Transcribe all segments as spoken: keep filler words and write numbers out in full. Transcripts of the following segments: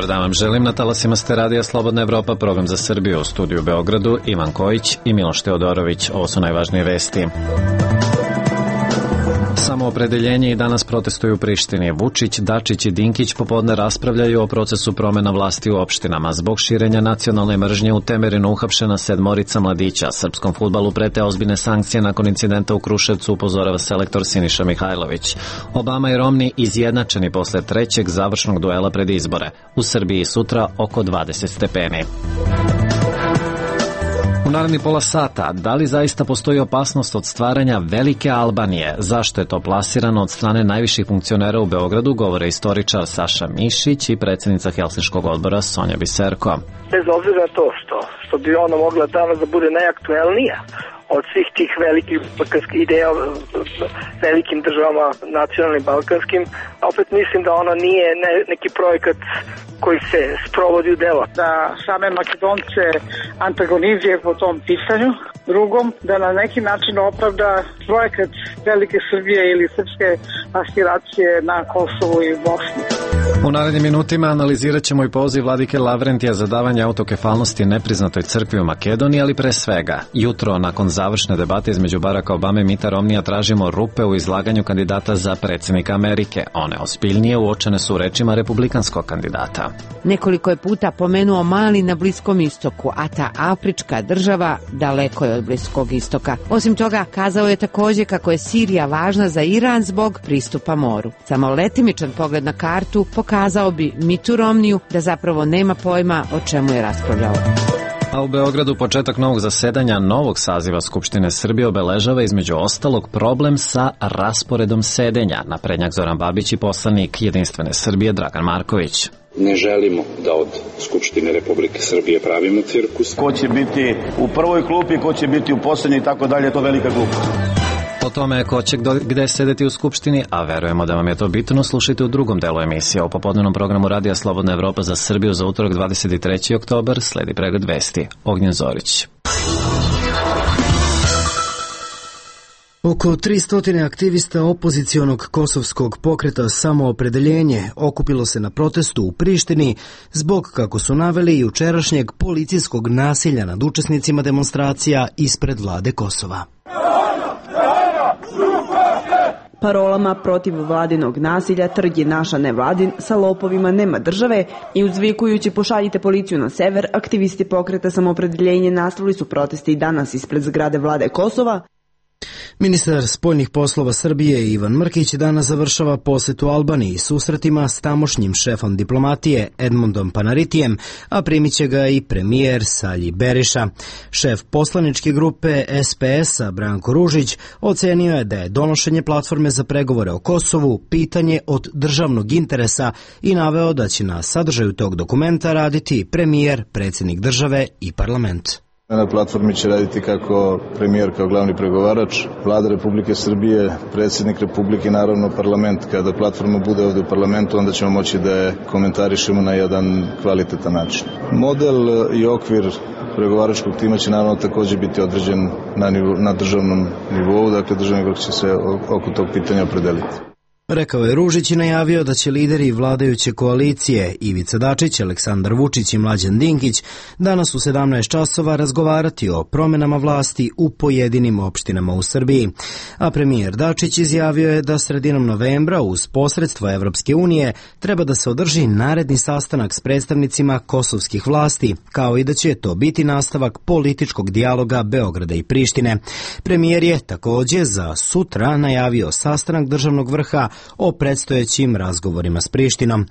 Dobar dan vam želim, na talasima ste radija Slobodna Evropa, program za Srbiju, u studiju u Beogradu, Ivan Kojić i Miloš Teodorović. Ovo su najvažnije vesti. Samoopredeljenje i danas protestuju u Prištini. Vučić, Dačić i Dinkić popodne raspravljaju o procesu promena vlasti u opštinama. Zbog širenja nacionalne mržnje u Temerinu uhapšena sedmorica mladića. Srpskom fudbalu prete ozbiljne sankcije nakon incidenta u Kruševcu, upozorava selektor Siniša Mihajlović. Obama i Romni izjednačeni posle trećeg završnog duela pred izbore. U Srbiji sutra oko dvadeset stepeni. U naredni pola sata, da li zaista postoji opasnost od stvaranja velike Albanije? Zašto je to plasirano od strane najviših funkcionera u Beogradu, govore istoričar Saša Mišić i predsjednica Helsinškog odbora Sonja Biserko. Bez obzira na to što, što bi ona mogla danas da bude najaktuelnija od svih tih velikih balkanskih ideja velikim državama nacionalnim balkanskim, opet mislim da ona nije ne, neki projekat koji se sprovodi u delo. Da same Makedonce antagonizuje po tom pitanju. Drugom, da na neki način opravda projekat Velike Srbije ili srpske aspiracije na Kosovu i Bosni. U narednim minutima analizirat ćemo i poziv vladike Lavrentija za davanje autokefalnosti nepriznatoj crkvi u Makedoniji, ali pre svega, jutro nakon završne debate između Baracka Obame i Mita Romnija tražimo rupe u izlaganju kandidata za predsjednika Amerike. One ozbiljnije uočene su u rečima republikanskog kandidata. Nekoliko je puta pomenuo Mali na Bliskom istoku, a ta afrička država daleko je od Bliskog istoka. Osim toga, kazao je također kako je Sirija važna za Iran zbog pristupa moru. Samo letimičan pogled na kartu pokazao bi Mitu Romniju da zapravo nema pojma o čemu je raspravljao. A u Beogradu početak novog zasedanja novog saziva Skupštine Srbije obeležava između ostalog problem sa rasporedom sedenja. Naprednjak Zoran Babić i poslanik Jedinstvene Srbije Dragan Marković. Ne želimo da od Skupštine Republike Srbije pravimo cirkus. Ko će biti u prvoj klupi, ko će biti u poslednjoj i tako dalje, to velika glupa. O tome ko će gde sedeti u Skupštini, a verujemo da vam je to bitno, slušajte u drugom delu emisije. O popodnevnom programu Radija Slobodna Evropa za Srbiju za utorak dvadeset treći oktobar sledi pregled vesti. Ognjen Zorić. Oko tristo aktivista opozicionog kosovskog pokreta Samoopredeljenje okupilo se na protestu u Prištini zbog, kako su naveli, jučerašnjeg policijskog nasilja nad učesnicima demonstracija ispred vlade Kosova. Parolama protiv vladinog nasilja trg je naša nevladin, sa lopovima nema države i uzvikujući pošaljite policiju na sever, aktivisti pokreta Samoopredeljenje nastavili su proteste i danas ispred zgrade vlade Kosova. Ministar spoljnih poslova Srbije Ivan Mrkić danas završava posetu Albaniji i susretima s tamošnjim šefom diplomatije Edmundom Panaritijem, a primit će ga i premijer Salji Beriša. Šef poslaničke grupe S P S-a Branko Ružić ocenio je da je donošenje platforme za pregovore o Kosovu pitanje od državnog interesa i naveo da će na sadržaju tog dokumenta raditi premijer, predsjednik države i parlament. Na platformi će raditi kako premijer kao glavni pregovarač, vlada Republike Srbije, predsjednik Republike i naravno parlament. Kada platforma bude ovdje u parlamentu, onda ćemo moći da je komentarišemo na jedan kvalitetan način. Model i okvir pregovaračkog tima će naravno također biti određen na, nivo, na državnom nivou, dakle državni vrh će se oko tog pitanja opredeliti. Rekao je Ružić i najavio da će lideri vladajuće koalicije Ivica Dačić, Aleksandar Vučić i Mlađan Dinkić danas u sedamnaest časova razgovarati o promjenama vlasti u pojedinim opštinama u Srbiji. A premijer Dačić izjavio je da sredinom novembra uz posredstvo Evropske unije treba da se održi naredni sastanak s predstavnicima kosovskih vlasti, kao i da će to biti nastavak političkog dijaloga Beograda i Prištine. Premijer je također za sutra najavio sastanak državnog vrha o predstojećim razgovorima s Prištinom.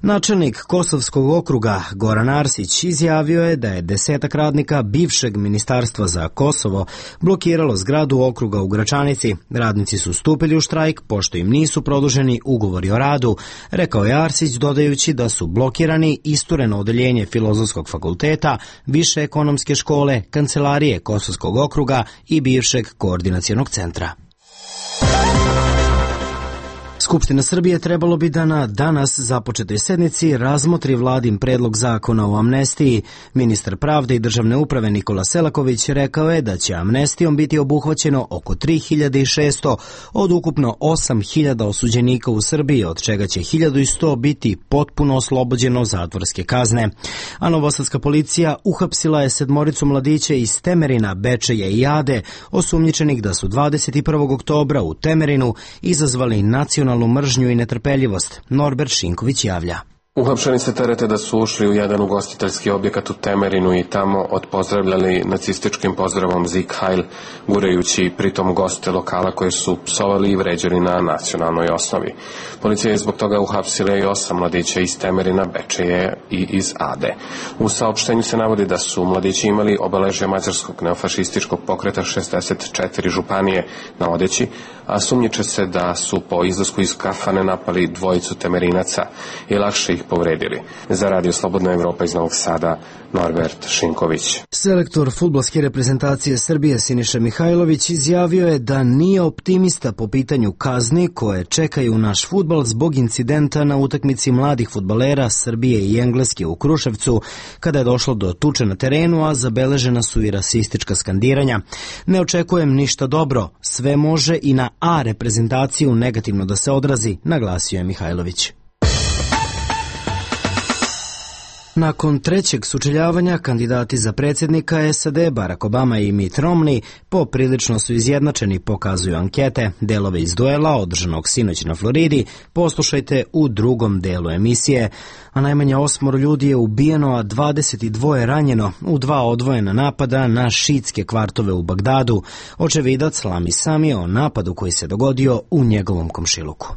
Načelnik Kosovskog okruga Goran Arsić izjavio je da je desetak radnika bivšeg ministarstva za Kosovo blokiralo zgradu okruga u Gračanici. Radnici su stupili u štrajk pošto im nisu produženi ugovori o radu, rekao je Arsić, dodajući da su blokirani istureno odeljenje Filozofskog fakulteta, Više ekonomske škole, Kancelarije Kosovskog okruga i bivšeg koordinacionog centra. Skupština Srbije trebalo bi da na danas započetoj sednici razmotri vladin predlog zakona o amnestiji. Ministar pravde i državne uprave Nikola Selaković rekao je da će amnestijom biti obuhvaćeno oko tri hiljade šesto od ukupno osam hiljada osuđenika u Srbiji, od čega će hiljadu sto biti potpuno oslobođeno zatvorske kazne. A novosadska policija uhapsila je sedmoricu mladića iz Temerina, Bečeja i Ade, osumnjičenih da su dvadeset prvog oktobra u Temerinu izazvali nacionalnu mržnju i netrpeljivost. Norbert Šinković javlja. Uhapšeni se terete da su ušli u jedan ugostiteljski objekat u Temerinu i tamo odpozdravljali nacističkim pozdravom Sieg Heil, gurajući pritom goste lokala koje su psovali i vređali na nacionalnoj osnovi. Policija je zbog toga uhapsila i osam mladića iz Temerina, Bečeje i iz Ade. U saopštenju se navodi da su mladići imali obeležje mađarskog neofašističkog pokreta šezdeset četiri županije na odeći, a sumnjiče se da su po izlasku iz kafane napali dvojicu Temerinaca i lakše ih povredili. Za Radio Slobodna Evropa iz Novog Sada, Norbert Šinković. Selektor fudbalske reprezentacije Srbije Siniša Mihajlović izjavio je da nije optimista po pitanju kazni koje čekaju naš fudbal zbog incidenta na utakmici mladih fudbalera Srbije i Engleske u Kruševcu, kada je došlo do tuče na terenu, a zabeležena su i rasistička skandiranja. Ne očekujem ništa dobro, sve može i na A reprezentaciju negativno da se odrazi, naglasio je Mihajlović. Nakon trećeg sučeljavanja, kandidati za predsjednika S A D Barack Obama i Mitt Romney poprilično su izjednačeni, pokazuju ankete. Delove iz duela, održanog sinoć na Floridi, poslušajte u drugom delu emisije. A najmanje osmoro ljudi je ubijeno, a dvadeset dva ranjeno u dva odvojena napada na šiitske kvartove u Bagdadu. Očevidac Lami Sami o napadu koji se dogodio u njegovom komšiluku.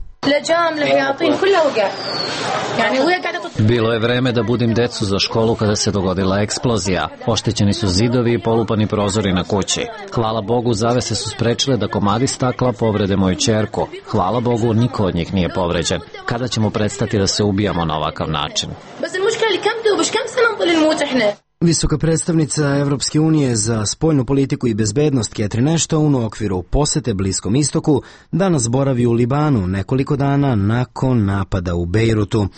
Bilo je vreme da budim decu za školu kada se dogodila eksplozija. Oštećeni su zidovi i polupani prozori na kući. Hvala Bogu, zavese su sprečile da komadi stakla povrede moju ćerku. Hvala Bogu, niko od njih nije povređen. Kada ćemo prestati da se ubijamo na ovakav način? Visoka predstavnica Evropske unije za spoljnu politiku i bezbednost Catherine Ashton u okviru posete Bliskom istoku danas boravi u Libanu nekoliko dana nakon napada u Bejrutu.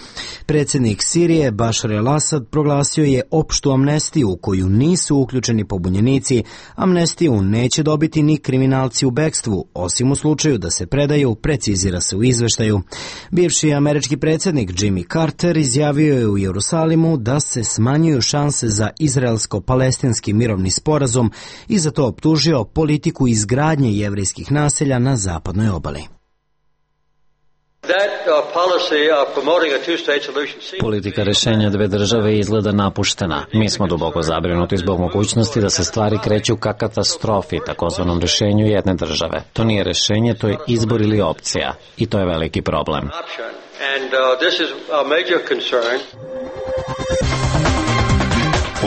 Predsjednik Sirije Bašar el-Asad proglasio je opštu amnestiju u koju nisu uključeni pobunjenici. Amnestiju neće dobiti ni kriminalci u bekstvu, osim u slučaju da se predaju, precizira se u izveštaju. Bivši američki predsjednik Jimmy Carter izjavio je u Jerusalimu da se smanjuju šanse za izraelsko-palestinski mirovni sporazum i za to optužio politiku izgradnje jevrejskih naselja na zapadnoj obali. Politika rešenja dve države izgleda napuštena. Mi smo duboko zabrinuti zbog mogućnosti da se stvari kreću ka katastrofi, takozvanom rešenju jedne države. To nije rešenje, to je izbor ili opcija. I to je veliki problem.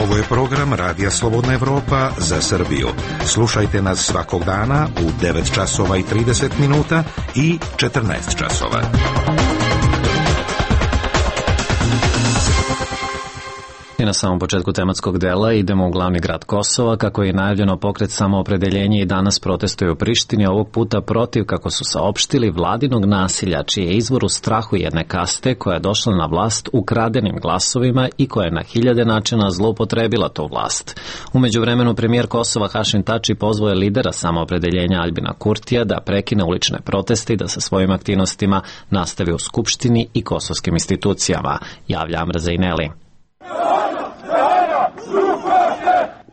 Ovo je program Radija Slobodna Evropa za Srbiju. Slušajte nas svakog dana u devet časova i trideset minuta i četrnaest časova. I na samom početku tematskog dela idemo u glavni grad Kosova. Kako je najavljeno, pokret Samoopredeljenje i danas protestuje u Prištini, ovog puta protiv, kako su saopštili, vladinog nasilja, čiji je izvor u strahu jedne kaste koja je došla na vlast ukradenim glasovima i koja je na hiljade načina zloupotrebila tu vlast. U međuvremenu premijer Kosova Hašim Tači pozvao je lidera Samoopredeljenja Aljbina Kurtija da prekine ulične proteste i da sa svojim aktivnostima nastavi u Skupštini i kosovskim institucijama, javlja Amr Zejneli.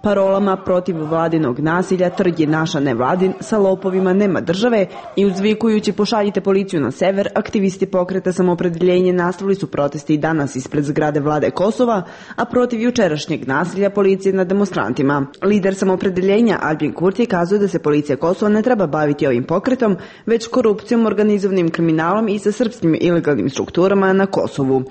Parolama protiv vladinog nasilja trg je naša nevladin, sa lopovima nema države i uzvikujući pošaljite policiju na sever, aktivisti pokreta Samoopredeljenje nastavili su protesti i danas ispred zgrade vlade Kosova, a protiv jučerašnjeg nasilja policije nad demonstrantima. Lider Samoopredeljenja Aljbin Kurti kazuje da se policija Kosova ne treba baviti ovim pokretom, već korupcijom, organizovanim kriminalom i sa srpskim ilegalnim strukturama na Kosovu.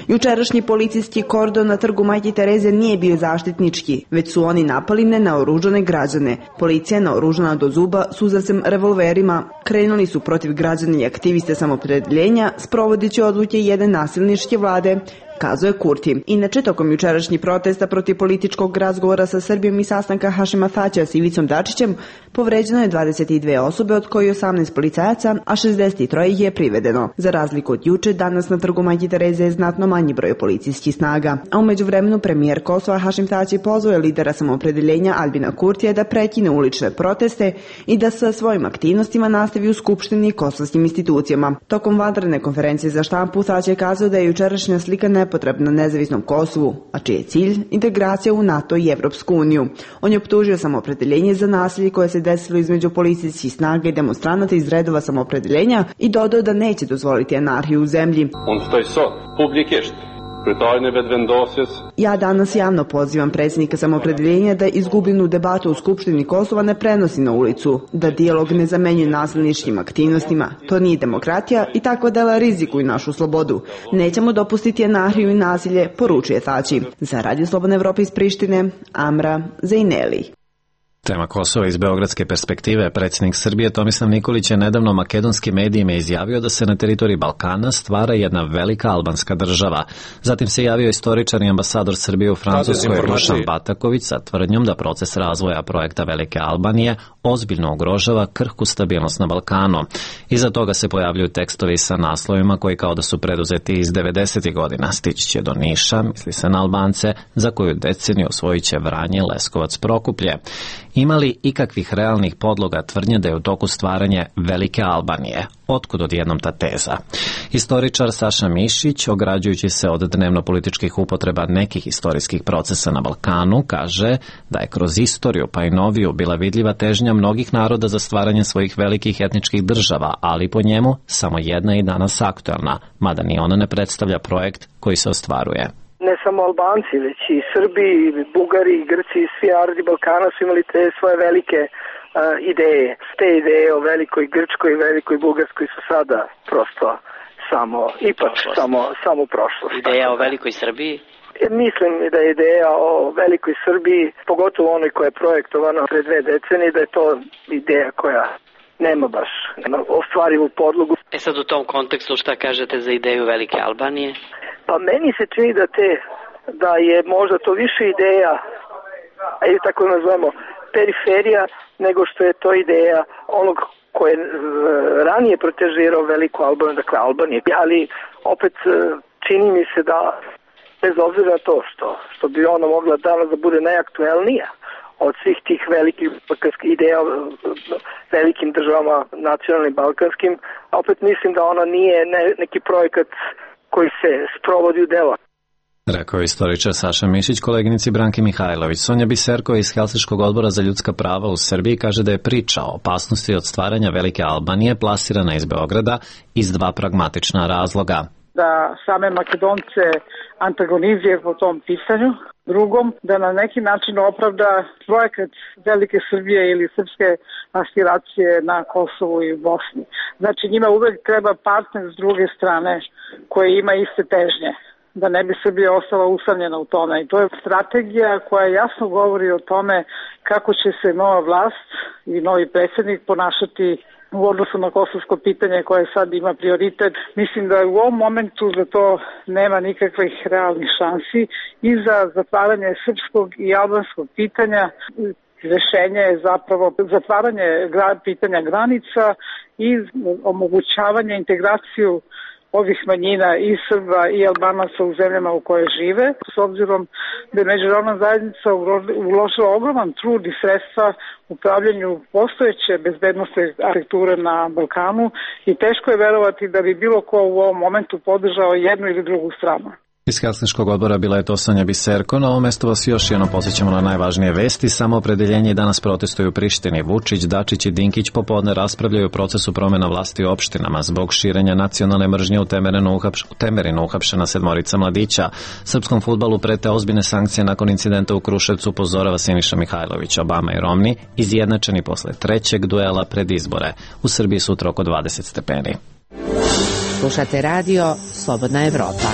Jučerašnji policijski kordon na trgu Majke Tereze nije bio zaštitnički, već su oni napali nenaoružane građane. Policija je naoružana do zuba suzavcem revolverima. Krenuli su protiv građana i aktiviste Samoopredeljenja, sprovodeći odluke jedne nasilničke vlade, kazuje Kurti. Inače, tokom jučerašnjih protesta protiv političkog razgovora sa Srbijom i sastanka Hašima Tačija s Ivicom Dačićem, povređeno je dvadeset dve osobe, od kojih osamnaest policajaca, a šezdeset tri ih je privedeno. Za razliku od juče, danas na trgu Majke Tereze je znatno manji broj policijskih snaga. A u međuvremenu premijer Kosova Hašim Tači pozvao je lidera samoopredeljenja Albina Kurtija da prekine ulične proteste i da sa svojim aktivnostima nastavi u Skupštini i kosovskim institucijama. Tokom vanredne konferencije za štampu Tači je kazao da je jučerašnja slika nepotrebna nezavisnom Kosovu, a čiji je cilj integracija u NATO i Evropsku uniju. On je optužio samoopredeljenje za nasilje koje se desilo između policijskih snaga i demonstranata iz redova samoopredeljenja i dodao da neće dozvoliti anarhiju u zemlji. Ja danas javno pozivam predsjednika samoopredeljenja da izgubljenu debatu u Skupštini Kosova ne prenosi na ulicu, da dijalog ne zamenjuje nasilničkim aktivnostima. To nije demokratija i takva dela rizikuju našu slobodu. Nećemo dopustiti anarhiju i nasilje, poručuje Tači. Za Radio Slobodna Evropa iz Prištine, Amra Zejneli. Tema Kosova iz beogradske perspektive. Predsjednik Srbije Tomislav Nikolić je nedavno makedonskim medijima izjavio da se na teritoriji Balkana stvara jedna velika albanska država. Zatim se javio istoričar i ambasador Srbije u Francuskoj Rušan Bataković sa tvrdnjom da proces razvoja projekta Velike Albanije ozbiljno ugrožava krhku stabilnost na Balkanu. Iza toga se pojavljuju tekstovi sa naslovima koji kao da su preduzeti iz devedesetih godina. Stići će do Niša, misli se na Albance, za koju deceniju osvojit će Vranje, Leskovac, Prokuplje. Ima li ikakvih realnih podloga tvrdnje da je u toku stvaranje Velike Albanije? Otkud odjednom ta teza? Historičar Saša Mišić, ograđujući se od dnevno-političkih upotreba nekih historijskih procesa na Balkanu, kaže da je kroz istoriju pa i noviju bila vidljiva težnja mnogih naroda za stvaranje svojih velikih etničkih država, ali po njemu samo jedna je danas aktualna, mada ni ona ne predstavlja projekt koji se ostvaruje. Ne samo Albanci, već i Srbi, i Bugari, i Grci, i svi narodi Balkana su imali te svoje velike uh, ideje. Te ideje o velikoj Grčkoj i velikoj Bugarskoj su sada prosto samo, ipak samo, samo prošlost. Ideja o velikoj Srbiji? Mislim da je ideja o velikoj Srbiji, pogotovo onoj koja je projektovana pre dve decenije, da je to ideja koja nema baš ostvarivu podlogu. E sad u tom kontekstu šta kažete za ideju Velike Albanije? Pa meni se čini da te, da je možda to više ideja, ajde tako nazvemo, periferija, nego što je to ideja onog ko je ranije protežirao Veliku Albaniju, dakle Albanije. Ali opet čini mi se da, bez obzira na to što, što bi ona mogla danas da bude najaktuelnija od svih tih velikih balkanskih ideja velikim državama nacionalnim balkanskim, a opet mislim da ona nije ne, neki projekat koji se sprovodi u delo. Rekao je istoričar Saša Mišić koleginici Branki Mihajlović. Sonja Biserko iz Helsinškog odbora za ljudska prava u Srbiji kaže da je priča o opasnosti od stvaranja Velike Albanije plasirana iz Beograda iz dva pragmatična razloga. Da same Makedonce antagonizuje po tom pitanju. Drugom, da na neki način opravda projekat Velike Srbije ili srpske aspiracije na Kosovu i Bosni. Znači njima uvek treba partner s druge strane koji ima iste težnje, da ne bi Srbija ostala usamljena u tome. I to je strategija koja jasno govori o tome kako će se nova vlast i novi predsjednik ponašati u odnosu na kosovsko pitanje koje sad ima prioritet. Mislim da u ovom momentu za to nema nikakvih realnih šansi i za zatvaranje srpskog i albanskog pitanja. Rešenje je zapravo zatvaranje pitanja granica i omogućavanje integraciju ovih manjina i Srba i Albanaca u zemljama u koje žive, s obzirom da je međunarodna zajednica uložila ogroman trud i sredstva u upravljanju postojeće bezbednostne arhitekture na Balkanu i teško je verovati da bi bilo ko u ovom momentu podržao jednu ili drugu stranu. Iz Helsinškog odbora bila je to Sonja Biserko. Na ovom mestu vas još jednom podsjećamo na najvažnije vesti. Samoopredeljenje danas protestuju u Prištini. Vučić, Dačić i Dinkić popodne raspravljaju o procesu promjena vlasti u opštinama zbog širenja nacionalne mržnje u Temerinu, uhapš, u Temerinu uhapšena sedmorica mladića. Srpskom fudbalu prete ozbiljne sankcije nakon incidenta u Kruševcu, upozorava Siniša Mihajlović. Obama i Romni izjednačeni posle trećeg duela pred izbore. U Srbiji sutra oko dvadeset stepeni. Slušate radio Slobodna Evropa.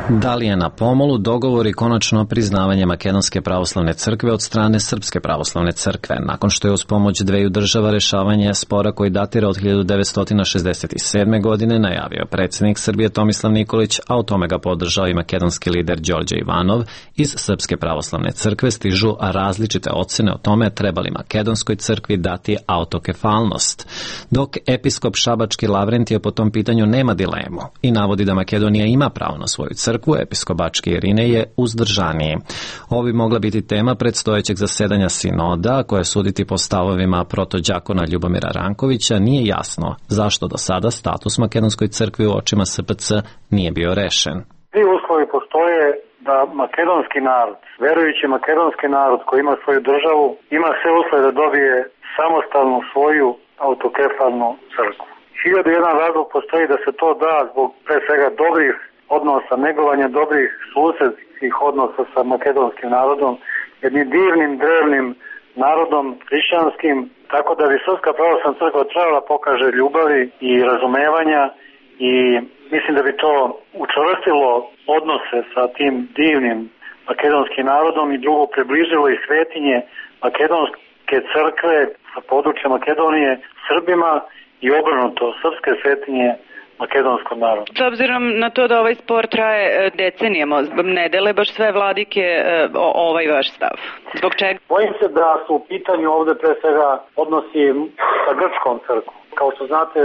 Da li je na pomolu dogovor i konačno priznavanje Makedonske pravoslavne crkve od strane Srpske pravoslavne crkve, nakon što je uz pomoć dveju država rešavanje spora koji datira od hiljadu devetsto šezdeset sedme. godine najavio predsjednik Srbije Tomislav Nikolić, a o tome ga podržao i makedonski lider Đorđe Ivanov. Iz Srpske pravoslavne crkve stižu različite ocene o tome treba li Makedonskoj crkvi dati autokefalnost, dok episkop Šabački Lavrentije po tom pitanju nema dilemu i navodi da Makedonija ima pravo na svoju crkvu, episkop Bački Irinej je uzdržaniji. Ovo bi mogla biti tema predstojećeg zasedanja sinoda, koje suditi po stavovima protođakona Ljubomira Rankovića nije jasno zašto do sada status Makedonskoj crkvi u očima S P C nije bio rešen. Svi uslovi postoje da makedonski narod, verujući makedonski narod koji ima svoju državu, ima sve uslove da dobije samostalnu svoju autokefalnu crkvu. Hiljadu jedan razlog postoji da se to da zbog pre svega dobrih odnosa, negovanja dobrih susedskih odnosa sa makedonskim narodom, jednim divnim, drevnim narodom hrišćanskim, tako da bi Srpska pravoslavna crkva trebala pokaže ljubavi i razumevanja i mislim da bi to učvrstilo odnose sa tim divnim makedonskim narodom i drugo približilo i svetinje makedonske crkve sa područja Makedonije Srbima i obrnuto srpske svetinje makedonskom narodu. S obzirom na to da ovaj spor traje decenijama, ne dele baš sve vladike ovaj vaš stav. Zbog čega? Bojim se da su u pitanju ovde pre svega odnosi sa grčkom crkvom. Kao što znate,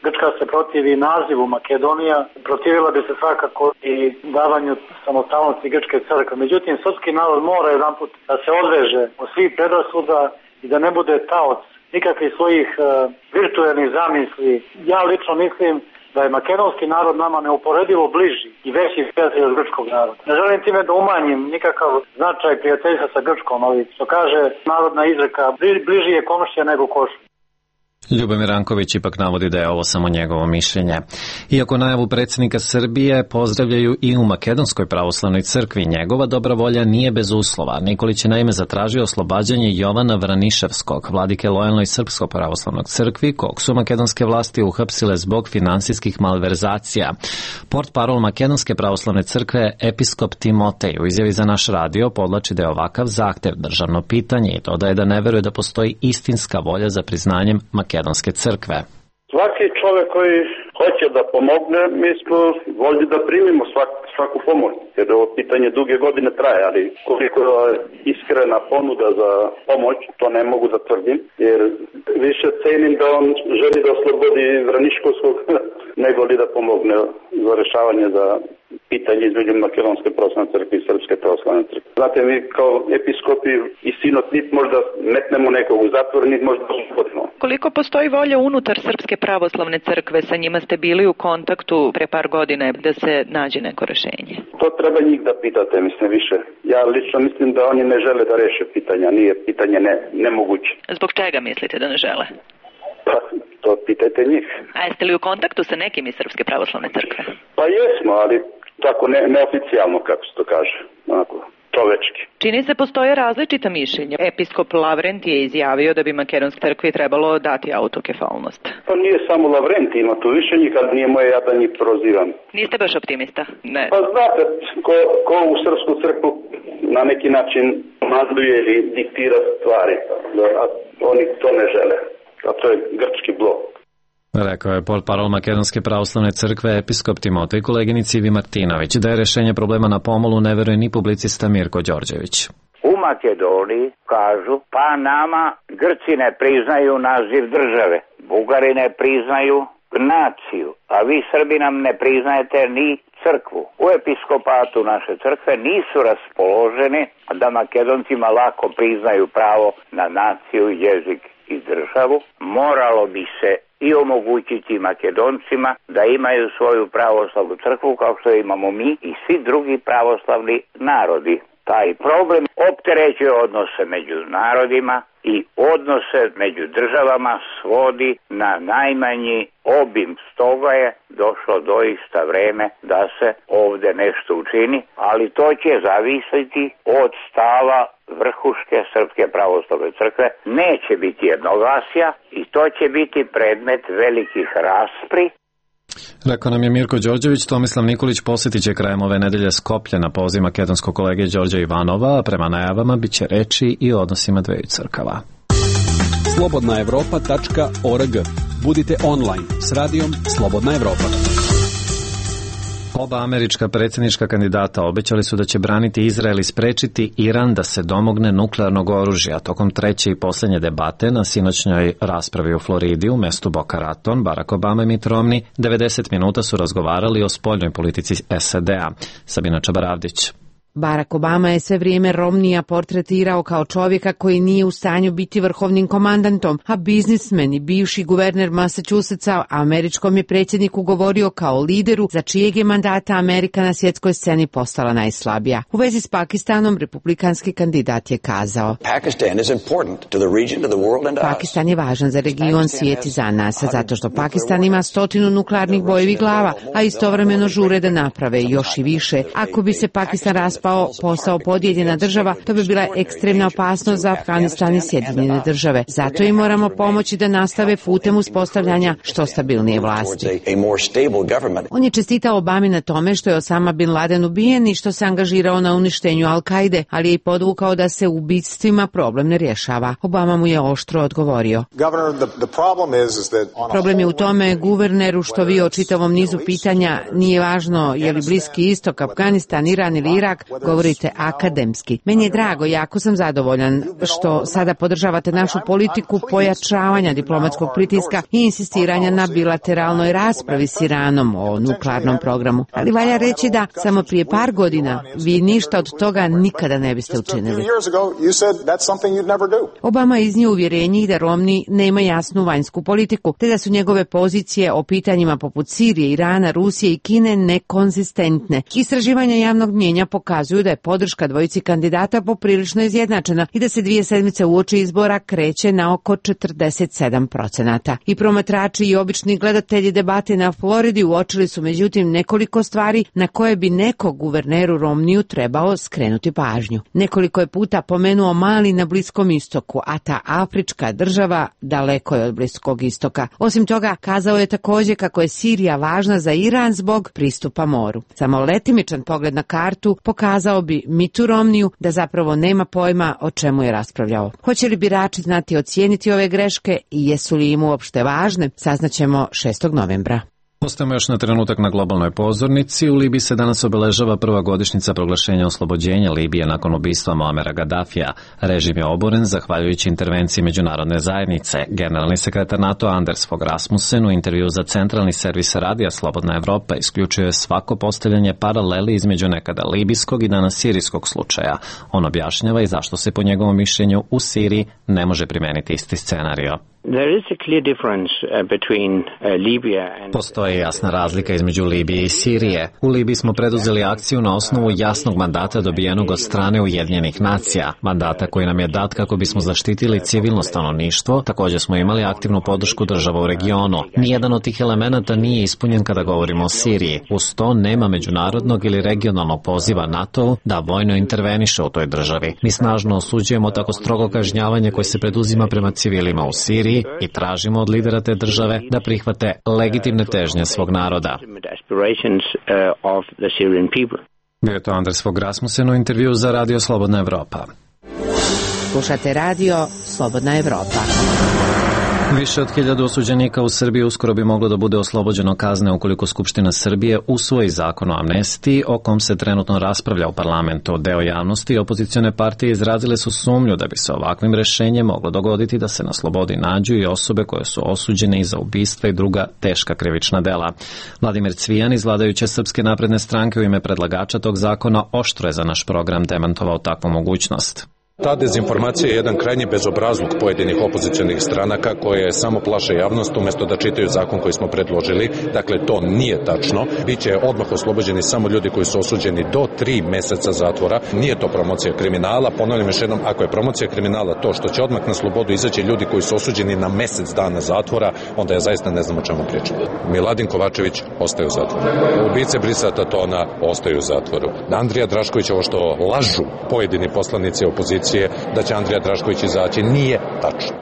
Grčka se protivi nazivu Makedonija, protivila bi se svakako i davanju samostalnosti grčke crkve. Međutim, srpski narod mora jedanput da se odveže od svih predrasuda i da ne bude taoc nikakvih svojih uh, virtuelnih zamisli. Ja lično mislim da je makedonski narod nama neuporedivo bliži i veći prijatelj od grčkog naroda. Ne želim time da umanjim nikakav značaj prijateljstva sa Grčkom, ali što kaže narodna izreka, bliži je komšija nego košulja. Ljubomir Ranković ipak navodi da je ovo samo njegovo mišljenje. Iako najavu predsjednika Srbije pozdravljaju i u Makedonskoj pravoslavnoj crkvi, njegova dobra volja nije bez uslova. Nikolić je naime zatražio oslobađanje Jovana Vraniševskog, vladike lojalnoj Srpskoj pravoslavnoj crkvi, kog su makedonske vlasti uhapsile zbog finansijskih malverzacija. Portparol Makedonske pravoslavne crkve, episkop Timotej, u izjavi za naš radio podlači da je ovakav zahtev državno pitanje i dodaje da ne veruje da postoji istinska volja za priznanjem makedonske crkve. Svaki čovjek koji hoće da pomogne, mi smo voljni da primimo svak, svaku pomoć, jer ovo pitanje duge godine traje, ali koliko je iskrena ponuda za pomoć, to ne mogu da tvrdim, jer više cenim da on želi da oslobodi Vraniškovskog, nego li da pomogne za rešavanje za pitanje između Makedonske pravoslavne crkve i Srpske pravoslavne crkve. Znate, mi kao episkopi i sinod nit možda metnemo nekog u zatvor, nit možda oslobodimo. Koliko postoji volja unutar Srpske pravoslavne crkve, sa njima ste bili u kontaktu pre par godine da se nađe neko rešenje? To treba njih da pitate, mislim više. Ja lično mislim da oni ne žele da reše pitanja, nije pitanje ne, nemoguće. Zbog čega mislite da ne žele? Pa, to pitajte njih. A jeste li u kontaktu sa nekim iz Srpske pravoslavne crkve? Pa jesmo, ali tako ne, neoficijalno, kako se to kaže, onako, čovečki. Čini se postoje različita mišljenja. Episkop Lavrentije je izjavio da bi Makedonskoj crkvi trebalo dati autokefalnost. Pa nije samo Lavrentije, ima tu više njih, ali nije moje ja da njih prozivam. Niste baš optimista? Ne. Pa znate, ko, ko u Srpsku crkvu na neki način manduje ili diktira stvari, a oni to ne žele. A to je grčki blok. Rekao je portparol Makedonske pravoslavne crkve episkop Timotej koleginici Ivi Martinović da je rešenje problema na pomolu ne veruje ni publicista Mirko Đorđević. U Makedoniji kažu pa nama Grci ne priznaju naziv države, Bugari ne priznaju naciju, a vi Srbi nam ne priznajete ni crkvu. U episkopatu naše crkve nisu raspoloženi da Makedoncima lako priznaju pravo na naciju, jezik i državu. Moralo bi se i omogućiti Makedoncima da imaju svoju pravoslavnu crkvu kao što imamo mi i svi drugi pravoslavni narodi. Taj problem opterećuje odnose među narodima i odnose među državama svodi na najmanji obim. Stoga je došlo doista vreme da se ovde nešto učini, ali to će zavisiti od stava vrhuške Srpske pravoslavne crkve. Neće biti jednoglasja i to će biti predmet velikih raspri. Rekao nam je Mirko Đorđević. Tomislav Nikolić posjetit će krajem ove nedelje Skoplje na poziv makedonskog kolege Đorđa Ivanova, a prema najavama bit će reči i o odnosima dveju crkava. slobodna evropa tačka org. Budite online s radijom Slobodna Evropa. Oba američka predsjednička kandidata obećali su da će braniti Izrael i sprečiti Iran da se domogne nuklearnog oružja. Tokom treće i posljednje debate na sinoćnjoj raspravi u Floridi u mestu Boca Raton, Barack Obama i Mitt Romney devedeset minuta su razgovarali o spoljnoj politici S A D-a. Sabina Čabaravdić. Barack Obama je sve vrijeme Romneya portretirao kao čovjeka koji nije u stanju biti vrhovnim komandantom, a biznismen i bivši guverner Massachusettsa američkom je predsjedniku govorio kao lideru za čijeg je mandata Amerika na svjetskoj sceni postala najslabija. U vezi s Pakistanom, republikanski kandidat je kazao: Pakistan je važan za region, svijet i za nas, zato što Pakistan ima stotinu nuklearnih bojevih glava, a istovremeno žure da naprave još i više. Ako bi se Pakistan raspao, postao podijeljena država, to bi bila ekstremna opasnost za Afganistan i Sjedinjene države. Zato im moramo pomoći da nastave putem uspostavljanja što stabilnije vlasti. On je čestitao Obami na tome što je Osama bin Laden ubijen i što se angažirao na uništenju Al-Kaide, ali je i podvukao da se ubistvima problem ne rješava. Obama mu je oštro odgovorio: Problem je u tome, guverneru, što vi o čitavom nizu pitanja, nije važno je li Bliski istok, Afganistan, Iran ili Irak, govorite akademski. Meni je drago, jako sam zadovoljan što sada podržavate našu politiku pojačavanja diplomatskog pritiska i insistiranja na bilateralnoj raspravi s Iranom o nuklearnom programu. Ali valja reći da samo prije par godina vi ništa od toga nikada ne biste učinili. Obama je iznio uvjerenje da Romney nema jasnu vanjsku politiku, te da su njegove pozicije o pitanjima poput Sirije, Irana, Rusije i Kine nekonzistentne. Istraživanja javnog mnijenja pokazuju da je podrška dvojici kandidata poprilično izjednačena i da se dvije sedmice uoči izbora kreće na oko četrdeset sedam procenata. I promatrači i obični gledatelji debate na Floridi uočili su međutim nekoliko stvari na koje bi neko guverneru Romneyu trebao skrenuti pažnju. Nekoliko je puta pomenuo Mali na Bliskom istoku, a ta afrička država daleko je od Bliskog istoka. Osim toga, kazao je također kako je Sirija važna za Iran zbog pristupa moru. Samo letimičan pogled na kartu pokazao bi Mittu Romneyu da zapravo nema pojma o čemu je raspravljao. Hoće li birači znati ocijeniti ove greške i jesu li im uopšte važne, saznaćemo šestog novembra. Ostajemo još na trenutak na globalnoj pozornici. U Libiji se danas obeležava prva godišnjica proglašenja oslobođenja Libije nakon ubistva Muamera Gaddafija. Režim je oboren zahvaljujući intervenciji međunarodne zajednice. Generalni sekretar NATO Anders Fogh Rasmussen u intervju za centralni servis radija Slobodna Evropa isključuje svako postavljanje paraleli između nekada libijskog i danas sirijskog slučaja. On objašnjava i zašto se po njegovom mišljenju u Siriji ne može primeniti isti scenario. Postoji jasna razlika između Libije i Sirije. U Libiji smo preduzeli akciju na osnovu jasnog mandata dobijenog od strane Ujedinjenih nacija, mandata koji nam je dat kako bismo zaštitili civilno stanovništvo. Također smo imali aktivnu podršku država u regionu. Nijedan od tih elemenata nije ispunjen kada govorimo o Siriji. Uz to nema međunarodnog ili regionalnog poziva NATO da vojno interveniše u toj državi. Mi snažno osuđujemo tako strogo kažnjavanje koje se preduzima prema civilima u Siriji i tražimo od lidera te države da prihvate legitimne težnje svog naroda. Bio je to Anders Fogh Rasmussen u intervju za Radio Slobodna Evropa. Slušate Radio Slobodna Evropa. Više od hiljadu osuđenika u Srbiji uskoro bi moglo da bude oslobođeno kazne ukoliko Skupština Srbije usvoji zakon o amnestiji o kom se trenutno raspravlja u parlamentu. Deo javnosti i opozicione partije izrazile su sumnju da bi se ovakvim rešenjem moglo dogoditi da se na slobodi nađu i osobe koje su osuđene i za ubistva i druga teška krivična dela. Vladimir Cvijan iz vladajuće Srpske napredne stranke u ime predlagača tog zakona oštro je za naš program demantovao takvu mogućnost. Ta dezinformacija je jedan krajnji bezobrazluk pojedinih opozicionih stranaka koje samo plaše javnost umjesto da čitaju zakon koji smo predložili. Dakle, to nije tačno. Biće odmah oslobođeni samo ljudi koji su osuđeni do tri meseca zatvora. Nije to promocija kriminala. Ponavljam još jednom, ako je promocija kriminala to što će odmah na slobodu izaći ljudi koji su osuđeni na mesec dana zatvora, onda ja zaista ne znam o čemu pričam. Miladin Kovačević ostaje u zatvoru. Ubice Brisata Tona ostaju u zatvoru. Andrija Drašković, ovo što lažu pojedini poslanici opozicije da će Andrija Drašković izaći, nije tačno.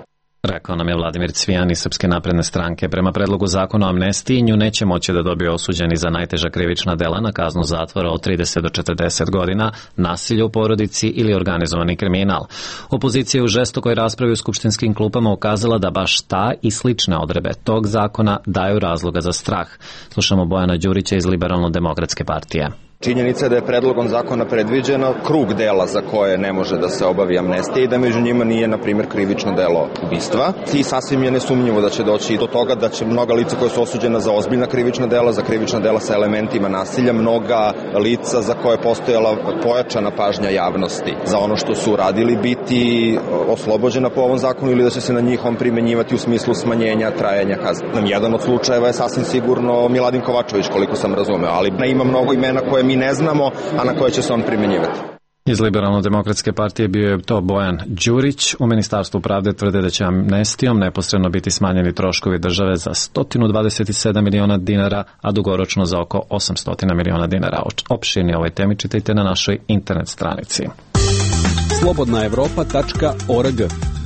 Rekao nam je Vladimir Cvijan iz Srpske napredne stranke. Prema predlogu zakona o amnestiji nju neće moći da dobije osuđeni za najteža krivična dela na kaznu zatvora od trideset do četrdeset godina, nasilje u porodici ili organizovani kriminal. Opozicija je u žestokoj raspravi u skupštinskim klupama ukazala da baš ta i slične odredbe tog zakona daju razloga za strah. Slušamo Bojana Đurića iz Liberalno-demokratske partije. Činjenica je da je predlogom zakona predviđeno krug dela za koje ne može da se obavi amnestija i da među njima nije, na primjer, krivično delo ubistva. I sasvim je nesumnjivo da će doći do toga da će mnoga lica koja su osuđena za ozbiljna krivična dela, za krivična dela sa elementima nasilja, mnoga lica za koje je postojala pojačana pažnja javnosti za ono što su radili biti oslobođena po ovom zakonu ili da će se na njih on primenjivati u smislu smanjenja trajanja kazne. Jedan od slučajeva je sasvim sigurno Miladin Kovačević, koliko sam razumeo, ali ima mnogo imena koje mi ne znamo, a na koje će se on primenjivati. Iz Liberalno-demokratske partije bio je to Bojan Đurić. U Ministarstvu pravde tvrde da će amnestijom neposredno biti smanjeni troškovi države za sto dvadeset sedam miliona dinara, a dugoročno za oko osamsto miliona dinara. Opširnije ovoj temi čitajte na našoj internet stranici. slobodna evropa tačka org.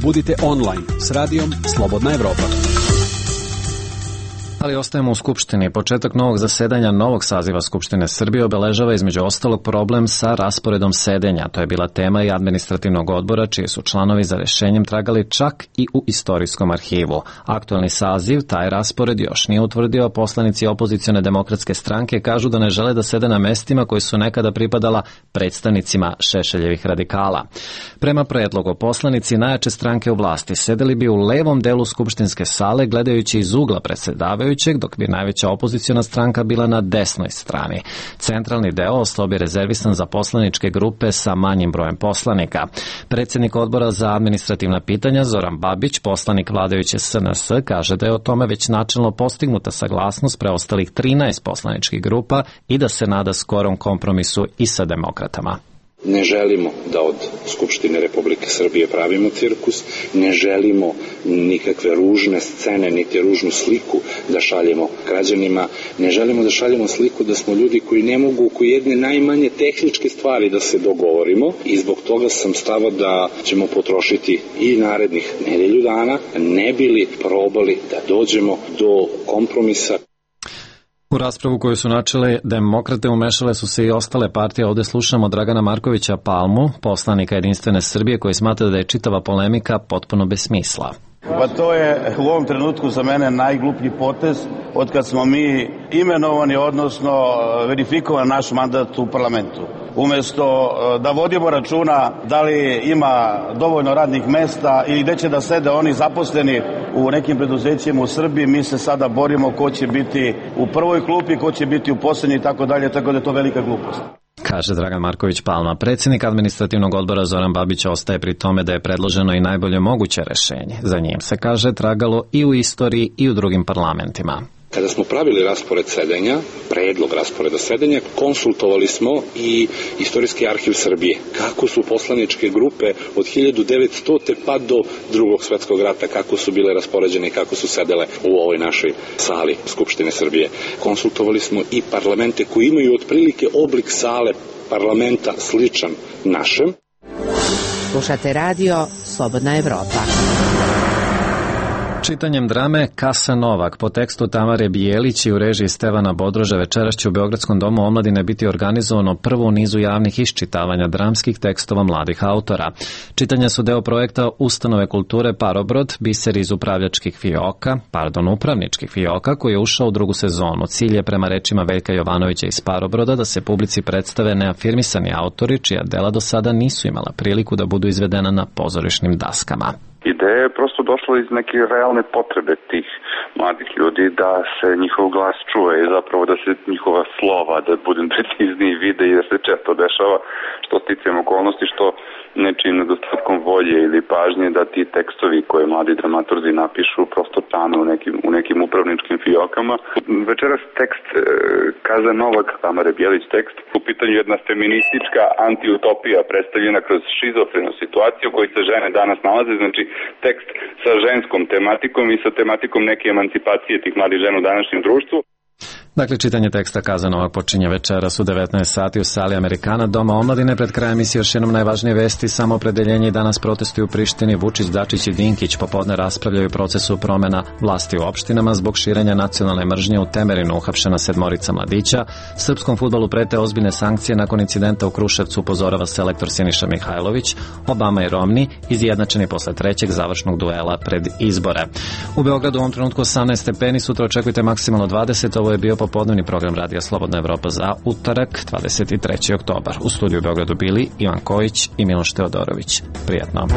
Budite online s radijom Slobodna Evropa. Ali ostajemo u Skupštini. Početak novog zasedanja novog saziva Skupštine Srbije obeležava između ostalog problem sa rasporedom sedenja. To je bila tema i administrativnog odbora, čiji su članovi za rešenjem tragali čak i u istorijskom arhivu. Aktualni saziv taj raspored još nije utvrdio, a poslanici opozicione demokratske stranke kažu da ne žele da sede na mestima koji su nekada pripadala predstavnicima Šešeljevih radikala. Prema predlogu, poslanici najjače stranke u vlasti sedeli bi u levom delu skupštinske sale gledajući iz ugla predsedavajućeg, dok bi najveća opoziciona stranka bila na desnoj strani. Centralni deo ostao bi rezervisan za poslaničke grupe sa manjim brojem poslanika. Predsjednik odbora za administrativna pitanja Zoran Babić, poslanik vladajuće S N S, kaže da je o tome već načelno postignuta saglasnost preostalih trinaest poslaničkih grupa i da se nada skorom kompromisu i sa demokratama. Ne želimo da od Skupštine Republike Srbije pravimo cirkus, ne želimo nikakve ružne scene, niti ružnu sliku da šaljemo građanima, ne želimo da šaljemo sliku da smo ljudi koji ne mogu oko jedne najmanje tehničke stvari da se dogovorimo i zbog toga sam stava da ćemo potrošiti i narednih nedelju dana, ne bili probali da dođemo do kompromisa. U raspravu koju su načele demokrate umešale su se i ostale partije. Ovde slušamo Dragana Markovića Palmu, poslanika Jedinstvene Srbije, koji smatra da je čitava polemika potpuno bez smisla. Pa to je u ovom trenutku za mene najgluplji potez od kad smo mi imenovani, odnosno verifikovan naš mandat u parlamentu. Umesto da vodimo računa da li ima dovoljno radnih mesta ili gde će da sede oni zaposleni u nekim preduzećima u Srbiji, mi se sada borimo ko će biti u prvoj klupi, ko će biti u poslednji i tako dalje, tako da je to velika glupost. Kaže Dragan Marković Palma. Predsjednik administrativnog odbora Zoran Babić ostaje pri tome da je predloženo i najbolje moguće rešenje. Za njim se, kaže, tragalo i u istoriji i u drugim parlamentima. Kada smo pravili raspored sedenja, predlog rasporeda sedenja, konsultovali smo i Istorijski arhiv Srbije. Kako su poslaničke grupe od hiljadu devetsto. pa do drugog svetskog rata, kako su bile raspoređene i kako su sedele u ovoj našoj sali Skupštine Srbije. Konsultovali smo i parlamente koji imaju otprilike oblik sale parlamenta sličan našem. Slušate radio Slobodna Evropa. Čitanjem drame Kasa Novak po tekstu Tamare Bijelić i u režiji Stevana Bodroža večeras će u Beogradskom domu omladine biti organizovano prvo u nizu javnih iščitavanja dramskih tekstova mladih autora. Čitanja su deo projekta Ustanove kulture Parobrod, biser iz upravljačkih fioka, pardon, upravničkih fioka, koji je ušao u drugu sezonu. Cilj je, prema rečima Veljka Jovanovića iz Parobroda, da se publici predstave neafirmisani autori čija dela do sada nisu imala priliku da budu izvedena na pozorišnim daskama. Ideja je prosto došla iz neke realne potrebe tih mladih ljudi da se njihov glas čuje i zapravo da se njihova slova, da budem precizniji, vide i da se često dešava što sticajem okolnosti, što nečim nedostatkom volje ili pažnje da ti tekstovi koje mladi dramaturzi napišu prosto tanu u nekim, u nekim upravničkim fiokama. Večeras tekst e, Kaza Novak, Tamare Bijelić tekst, u pitanju jedna feministička antiutopija predstavljena kroz šizofrenu situaciju u kojoj se žene danas nalaze, znači tekst sa ženskom tematikom i sa tematikom neke emancipacije tih mladih žena u današnjem društvu. Dakle, čitanje teksta Kazanovog počinje večeras u devetnaest sati u sali Amerikana, Doma omladine. Pred krajem emisije još jednom najvažnije vesti. Samoopredeljenje i danas protestuju u Prištini. Vučić, Dačić i Dinkić popodne raspravljaju o procesu promena vlasti u opštinama zbog širenja nacionalne mržnje. U Temerinu uhapšena sedmorica mladića. Srpskom fudbalu prete ozbiljne sankcije nakon incidenta u Kruševcu, upozorava selektor Siniša Mihajlović. Obama i Romni izjednačeni posle trećeg završnog duela pred izbore. U Beogradu u ovom trenutku osamnaest stepeni, sutra očekujte maksimalno dvadeset. Ovo je bio popodnevni program Radija Slobodna Evropa za utorak, dvadeset treći oktobar. U studiju u Beogradu bili Ivan Kojić i Miloš Teodorović. Prijatno.